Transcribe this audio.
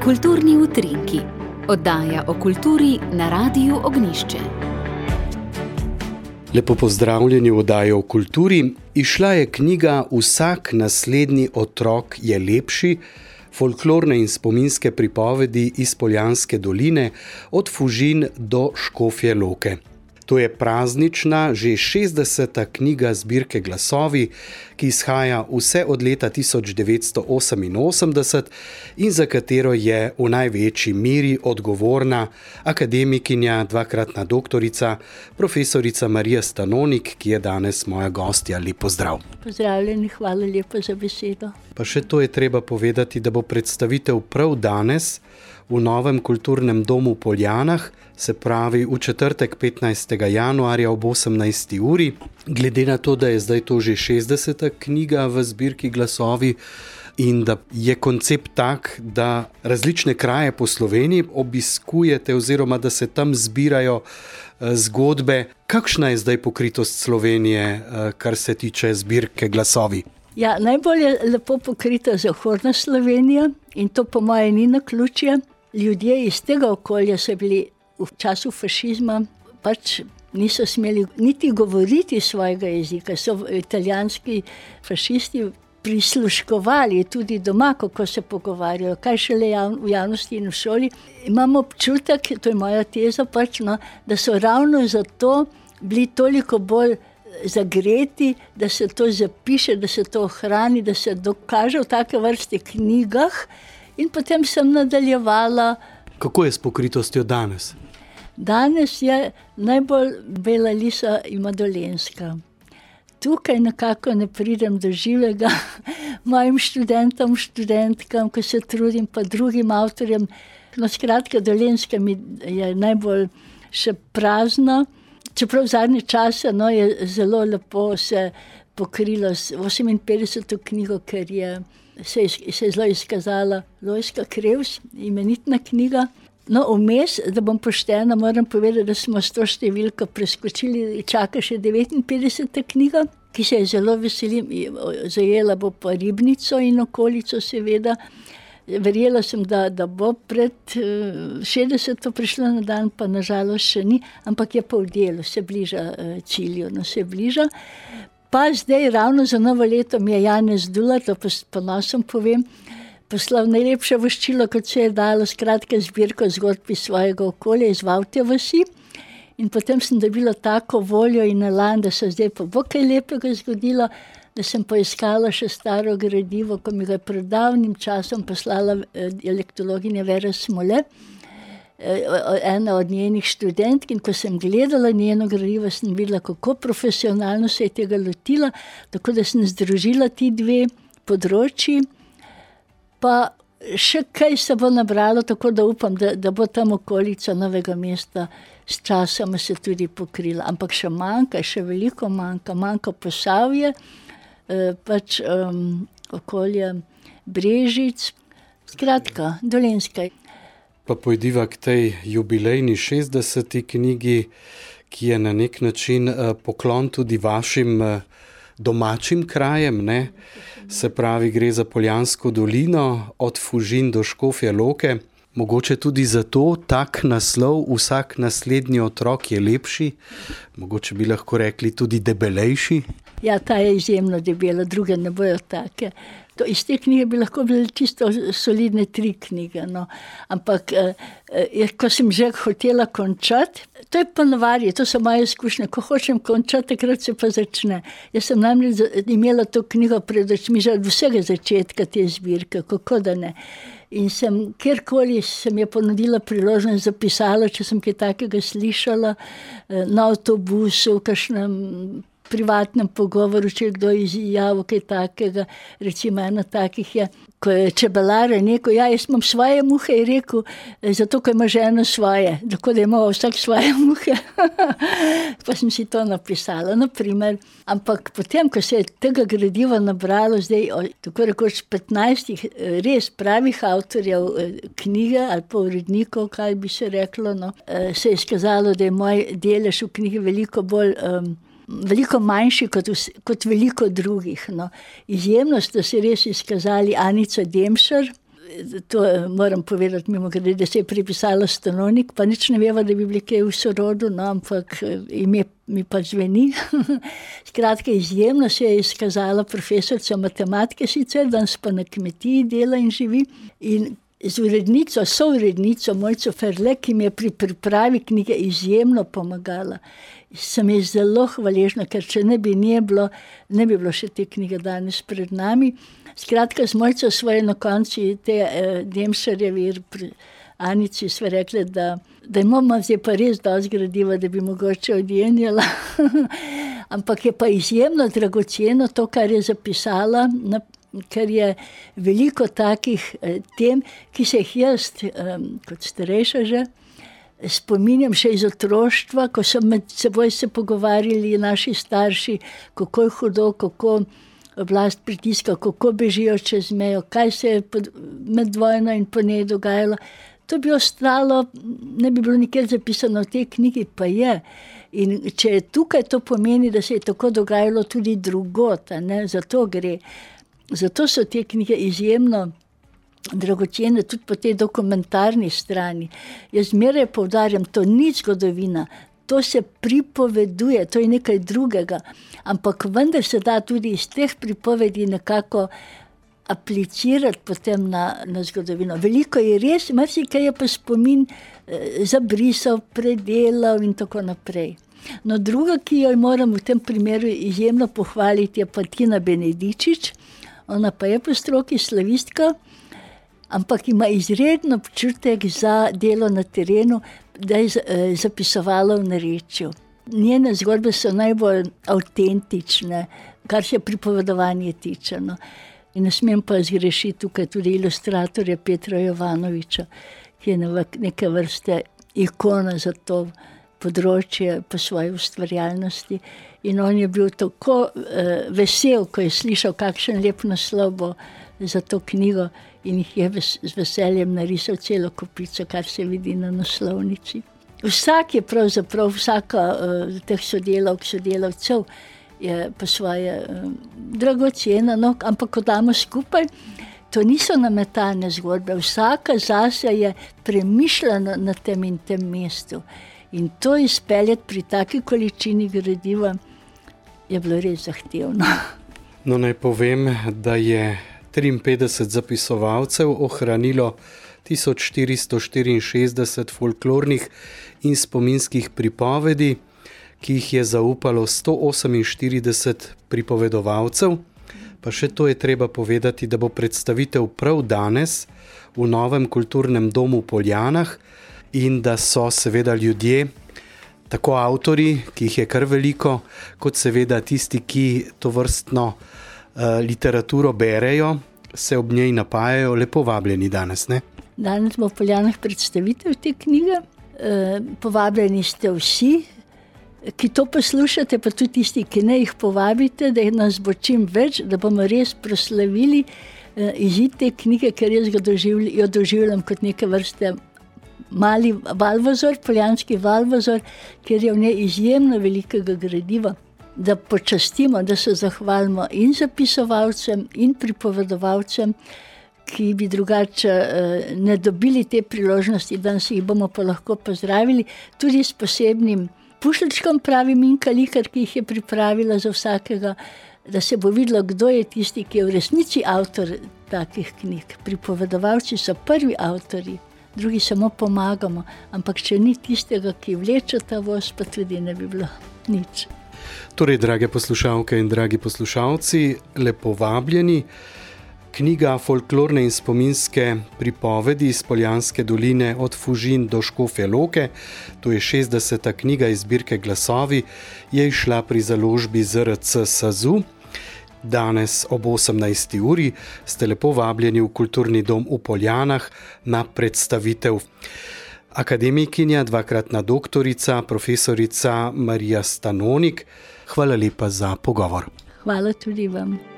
Kulturni utrinki, oddaja o kulturi na Radiu Ognjišče. Lepo pozdravljeni v oddaji o kulturi. Izšla je knjiga Vsak naslednji otrok je lepši, folklorne in spominske pripovedi iz Poljanske doline od Fužin do Škofje Loke. To je praznična, že 60. knjiga zbirke Glasovi, ki izhaja vse od leta 1988 in za katero je v največji meri odgovorna akademikinja, dvakratna doktorica, profesorica Marija Stanonik, ki je danes moja gostja. Lep pozdrav. Pozdravljeni, hvala lepa za besedo. Pa še to je treba povedati, da bo predstavitev prav danes v novem kulturnem domu v Poljanah, se pravi v četrtek 15. januarja ob 18. uri. Glede na to, da je zdaj to že 60. knjiga v zbirki Glasovi in da je koncept tak, da različne kraje po Sloveniji obiskujete oziroma da se tam zbirajo zgodbe. Kakšna je zdaj pokritost Slovenije, kar se tiče zbirke Glasovi? Ja, najbolj je lepo pokrita zahodna Slovenija in to po moje ni naključje. Ljudje iz tega okolja so bili v času fašizma, pač niso smeli niti govoriti svojega jezika. So italijanski fašisti prisluškovali tudi doma, kako se pogovarjajo, kaj šele v javnosti in v šoli. Imamo občutek, to je moja teza pač, da so ravno zato bili toliko bolj zagreti, da se to zapiše, da se to ohrani, da se dokaže v take vrste knjigah. In potem sem nadaljevala. Kako je s pokritostjo danes? Danes je najbolj Bela Lisa ima Dolenjska. Tukaj nekako ne pridem do živega mojim študentom, študentkam, ko se trudim, pa drugim avtorjem. Skratka, Dolenjska mi je najbolj še prazna. Čeprav v zadnje čase je zelo lepo se pokrilo s 58. knjigo, ker se je zelo izkazala Lojzka Krevs, imenitna knjiga. Vmes, da bom poštena, moram povedati, da smo s to številko preskočili, čaka še 59. knjiga, ki se je zelo veselim, zajela bo pa Ribnico in okolico seveda. Verjela sem, da bo pred 60. prišla na dan, pa nažalost še ni, ampak je pa v delu, se bliža cilju, se bliža. Pa zdaj ravno za novo leto mi je Janez Dular, to s ponosom povem, poslal najlepše voščilo, kot se je dalo, skratka zbirko zgodb iz svojega okolja, iz Vavtje vasi. In potem sem dobila tako voljo in elan, da se zdaj pa bo kaj lepega zgodilo, da sem poiskala še staro gradivo, ko mi ga je pred davnim časom poslala dialektologinja Vera Smole, ena od njenih študentk, in ko sem gledala njeno gradivo, sem videla, kako profesionalno se je tega lotila, tako da sem združila ti dve področji, pa še kaj se bo nabralo, tako da upam, da bo tam okolica Novega mesta s časoma se tudi pokrila. Ampak še manjka, še veliko manjka Posavje, pač okolje Brežic, skratka, Dolenjska. Pa pojdiva k tej jubilejni 60. knjigi, ki je na nek način poklon tudi vašim domačim krajem, ne? Se pravi, gre za Poljansko dolino, od Fužin do Škofje Loke. Mogoče tudi zato tak naslov, Vsak naslednji otrok je lepši, mogoče bi lahko rekli tudi debelejši. Ja, ta je izjemno debela, druge ne bojo take. Iz te knjige bi lahko bile čisto solidne 3 knjige. Ampak, ko sem že hotela končati, to je ponovarje, to so moje izkušnje. Ko hočem končati, takrat se pa začne. Jaz sem namreč imela to knjigo pred očmi že od vsega začetka te zbirke, kako da ne. In kjerkoli sem je ponudila priložnost, zapisala, če sem kaj takega slišala, na avtobusu, v kakšnem privatnem pogovoru, če je kdo izjavil kaj takega. Recimo ena takih je, ko je čebelar rekel, ja, jaz imam svoje muhe, je rekel, zato, ko ima žena svoje, tako da ima vsak svoje muhe. Pa sem si to napisala, naprimer. Ampak potem, ko se je tega gradiva nabralo, zdaj tako rekoč 15 res pravih avtorjev knjige ali pa urednikov, kaj bi se reklo, se je izkazalo, da je moj delež v knjigi veliko bolj veliko manjši kot veliko drugih. No. Izjemno sta se res izkazali Anica Demšar, to moram povedati mimogrede, da se je pripisala Stanovnik, pa nič ne veva, da bi bili kaj v sorodu, no, ampak ime mi pa zveni. Skratka, izjemno se je izkazala profesorica matematike, sicer danes pa na kmetiji dela in živi. In z urednico, sourednico Mojco Ferle, ki mi je pri pripravi knjige izjemno pomagala. Sem ji zelo hvaležna, ker če ne bi bilo še te knjige danes pred nami. Skratka, z Mojco svoje na konci te Demšarjevi Anici sva rekli, da imamo zdaj pa res dosti gradiva, da bi mogoče odjenjala. Ampak je pa izjemno dragoceno to, kar je zapisala, ker je veliko takih tem, ki se jih jaz, kot starejša že, spominjam še iz otroštva, ko so med seboj se pogovarjali naši starši, kako je hudo, kako oblast pritiska, kako bežijo čez mejo, kaj se je med vojno in po njej dogajalo. To bi ostalo, ne bi bilo nikjer zapisano v tej knjigi, pa je. In če je tukaj, to pomeni, da se je tako dogajalo tudi drugot, ne? Zato gre. Zato so te knjige izjemno dragocene tudi po tej dokumentarni strani. Jaz zmeraj poudarjam, to ni zgodovina, to se pripoveduje, to je nekaj drugega, ampak vendar se da tudi iz teh pripovedi nekako aplicirati potem na zgodovino. Veliko je res, marsikaj je pa spomin zabrisal, predelal in tako naprej. No, druga, ki jo moram v tem primeru izjemno pohvaliti, je pa Tina Benedičič. Ona pa je po stroki slavistka, ampak ima izredno občutek za delo na terenu, da je zapisovala v narečju. Njene zgodbe so najbolj avtentične, kar se pripovedovanje tiče. No. In ne smem pa zgrešiti tukaj tudi ilustratorja Petra Jovanoviča, ki je neke vrste ikona za to področje po svoji ustvarjalnosti. In on je bil tako vesel, ko je slišal, kakšen lep naslov bo za to knjigo, in jih je z veseljem narisal celo kopico, kar se vidi na naslovnici. Vsak je pravzaprav, vsaka teh sodelavcev je pa svoje dragocena, no, ampak ko damo skupaj, to niso nametane zgodbe, vsaka zase je premišljena na tem in tem mestu. In to izpeljati pri taki količini gradiva je bilo res zahtevno. No, naj povem, da je 53 zapisovalcev ohranilo 1464 folklornih in spominskih pripovedi, ki jih je zaupalo 148 pripovedovalcev. Pa še to je treba povedati, da bo predstavitev prav danes v novem kulturnem domu v Poljanah in da so seveda ljudje, tako avtorji, ki jih je kar veliko, kot seveda tisti, ki to vrstno literaturo berejo, se ob njej napajajo, lepo vabljeni danes, ne? Danes bo v Poljanah predstavitev te knjige. Povabljeni ste vsi, ki to poslušate, pa tudi tisti, ki ne jih povabite, da nas bo čim več, da bomo res proslavili izid te knjige, ker jaz jo doživljam kot neke vrste mali valvozor, poljanski valvozor, kjer je v njej izjemno velikega gradiva, da počastimo, da se zahvalimo in zapisovalcem in pripovedovalcem, ki bi drugače ne dobili te priložnosti, danes jih bomo pa lahko pozdravili, tudi s posebnim pušljčkom, pravi Minka Likar, ki jih je pripravila za vsakega, da se bo videlo, kdo je tisti, ki je v resnici avtor takih knjig. Pripovedovalci so prvi avtorji, drugi samo pomagamo, ampak če ni tistega, ki vleče ta voz, pa tudi ne bi bilo nič. Torej, drage poslušalke in dragi poslušalci, lepo vabljeni. Knjiga folklorne in spominske pripovedi iz Poljanske doline od Fužin do Škofje Loke, to je 60. knjiga iz zbirke Glasovi, je izšla pri založbi ZRC SAZU. Danes ob 18. uri ste lepo vabljeni v Kulturni dom v Poljanah na predstavitev. Akademikinja, dvakratna doktorica, profesorica Marija Stanovnik, hvala lepa za pogovor. Hvala tudi vam.